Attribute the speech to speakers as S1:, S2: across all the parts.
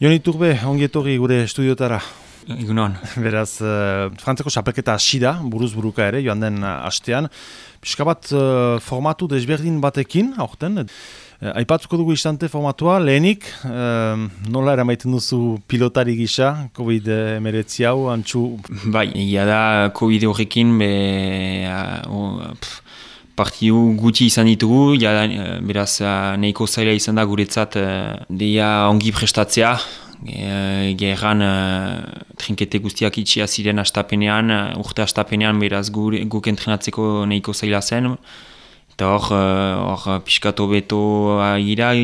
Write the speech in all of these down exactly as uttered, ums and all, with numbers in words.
S1: Jon Iturbe, ongi etorri gure estudiotara.
S2: Egunon.
S1: Beraz, uh, Frantzeko txapelketa hasi da, buruz buruka ere, joan den uh, hastean. Pixka bat uh, formatu desberdin batekin, aurten. Uh, aipatzuko dugu istante formatua, lehenik, uh, nola eramaiten duzu pilotari gisa, covid hemeretzi hau, antxu?
S2: Bai, egia da, covid horrekin, be, uh, pff, partidu gutxi izan ditugu, ja, beraz nahiko zaila izan da guretzat uh, deia ongi prestatzea. E, Gerran uh, trinkete guztiak itxia ziren astapenean, uh, urte astapenean beraz gu, guk entrenatzeko nahiko zaila zen. Eta hor, hor uh, pixkato beto agira,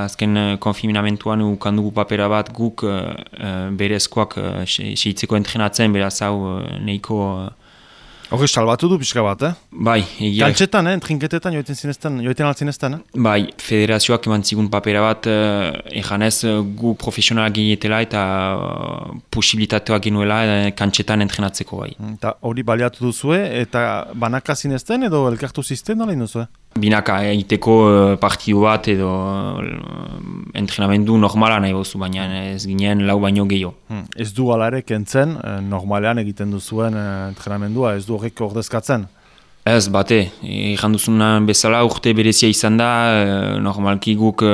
S2: azken uh, konfinamentuan ukandugu papera bat guk uh, uh, berezkoak uh, seitzeko entrenatzen, beraz hau uh, nahiko... Uh,
S1: Horri salbatu du pixka bat, eh?
S2: Bai, egia.
S1: Kantxetan, eh? Trinketetan joiten zinezten, joiten altzinezten, eh?
S2: Bai, federazioak eman zigun papera bat, eh, ejanez gu profesionalak ginetela eta uh, posibilitateak genuela eh, kantxetan entrenatzeko bai.
S1: Eta hori baliatu duzue, eta banaka zinezten edo elkartu zizten, nola induzue?
S2: Binaka, egiteko uh, partidu bat edo uh, entrenamendu normala nahi bozu, baina ez ginen lau baino gehiago.
S1: Hmm. Ez du ala ere kentzen, eh, normalean egiten duzuen eh, entrenamendua, ez du horrek ordezkatzen?
S2: Ez, bate, egin duzunan bezala urte berezia izan da, e, normalki guk e,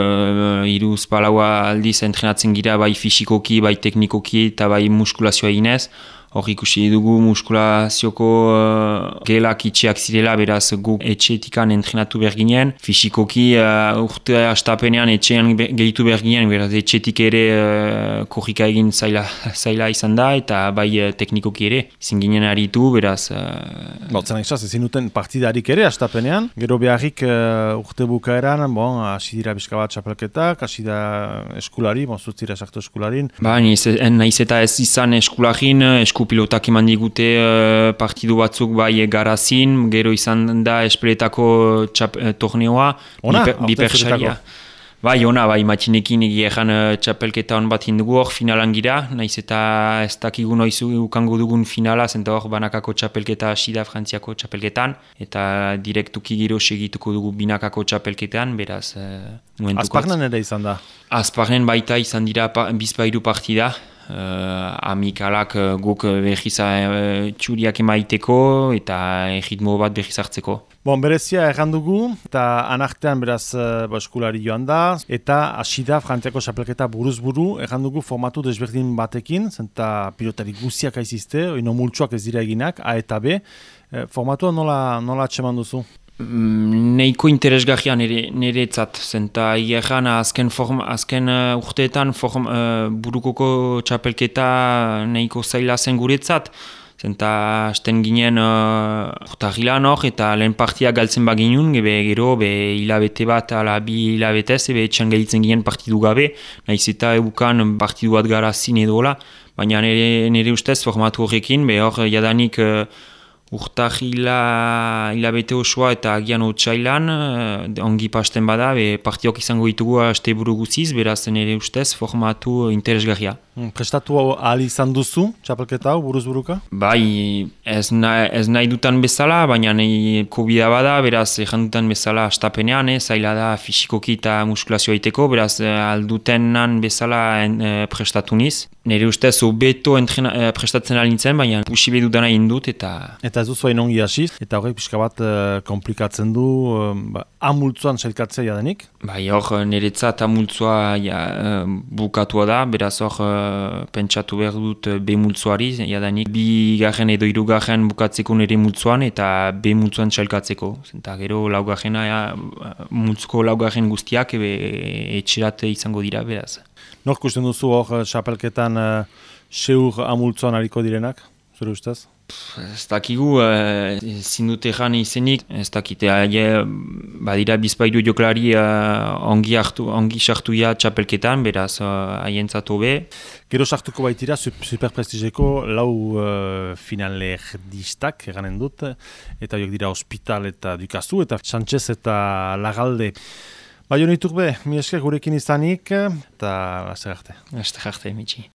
S2: iruz palaua aldiz entrenatzen gira bai fisikoki, bai teknikoki eta bai muskulazioa eginez. Hor ikusi dugu muskulazioko uh, gelak itxeak zirela, beraz guk etxeetikan entrenatu behar ginen. Fisikoki uh, urte astapenean etxean gehitu behar ginen, beraz etxeetik ere uh, korrika egin zaila, zaila izan da, eta bai uh, teknikoki ere. Izin ginen aritu, beraz... Uh,
S1: Botzen egizaz, ezin duten partidarik ere astapenean. Gero beharrik uh, urte bukaeran, bon, hasi dira bizka bat txapelketak, hasi da eskulari, bon, zutzira esaktu eskularin.
S2: Ba, nahiz eta ez izan eskularin, esku pilotak eman digute uh, partidu batzuk bai garazin, gero izan da espeletako txap, uh, torneoa,
S1: Ona,
S2: bipersaria. Bai, ona, bai, matxinekin egieran uh, txapelketa hon bat hindugu hor finalan gira, nahiz eta ez dakigu noiz ukango dugun finala, zenta hor banakako txapelketa hasi da Frantziako txapelketan, eta direktuki gero segituko dugu binakako txapelketan, beraz... Uh,
S1: Azparnen ere izan da?
S2: Azparnen baita izan dira pa, bizpairu partida, Uh, amikalak uh, guk behiz uh, txuriak emaiteko eta ritmo bat behiz hartzeko.
S1: Bon, berezia errandugu, eta anartean beraz uh, eskulari joan da, eta hasi da Frantziako txapelketa buruz buru, errandugu formatu desberdin batekin, zenta pilotari guziak aizizte, oino multsuak ez dira eginak, A eta B. Uh, formatua nola, nola atseman duzu?
S2: Neiko interesgarria nire, niretzat, zenta hierran azken, form, azken uh, urteetan form, uh, burukoko txapelketa neiko zaila zen guretzat, zenta hasten ginen uh, urtahilan hor eta lehen partia galtzen baginun, gebe gero be hilabete bat ala bi hilabetez, ebe etxan gelditzen ginen partidu gabe, nahiz eta eukan partidu bat garazin edola, baina nire, nire ustez formatu horrekin, be hor jadanik uh, urtahila hilabete osoa eta agian otsailan, ongi pasten bada, be partiok izango ditugu aste buru guziz, beraz nire ustez formatu interesgarria.
S1: Prestatu ahal izan duzu, txapelketa hau, buruz buruka?
S2: Bai, ez, na, ez nahi dutan bezala, baina nahi COVID bada, beraz egin dutan bezala astapenean, eh, zaila da fisikoki eta muskulazioa iteko, beraz aldutenan bezala en, eh, prestatu niz. Nire ustez hobeto eh, prestatzen alintzen, baina pusibe dudana indut eta...
S1: Eta ez duzu hain ongi hasiz, eta horrek pixka bat uh, komplikatzen du, uh, ba, amultzuan sailkatzea jadenik?
S2: Bai, hor niretzat amultzua ja, uh, bukatua da, beraz hor uh, pentsatu behar dut B multzuari, jadanik bi garen edo hiru garen bukatzeko nire multzuan eta B multzuan sailkatzeko. Eta gero laugarrena, ja, multzuko laugarren guztiak ebe, etxerat izango dira, beraz.
S1: Nor kusten duzu hor txapelketan uh, seur amultzuan hariko direnak, zure ustez?
S2: Ez dakigu, ezin dut egan izenik, ez dakite, badira bizpairu joklari uh, ongi, hartu, ongi sartuia txapelketan, beraz haientzat uh, hobe.
S1: Gero sartuko baitira, superprestigeko lau uh, finalerdistak eganen dut, eta horiek dira Hospital eta Dukazu, eta Sánchez eta Lagalde. Ba, Jon Iturbe, mi esker gurekin izanik, eta laster arte.
S2: Laster arte, Mitxi.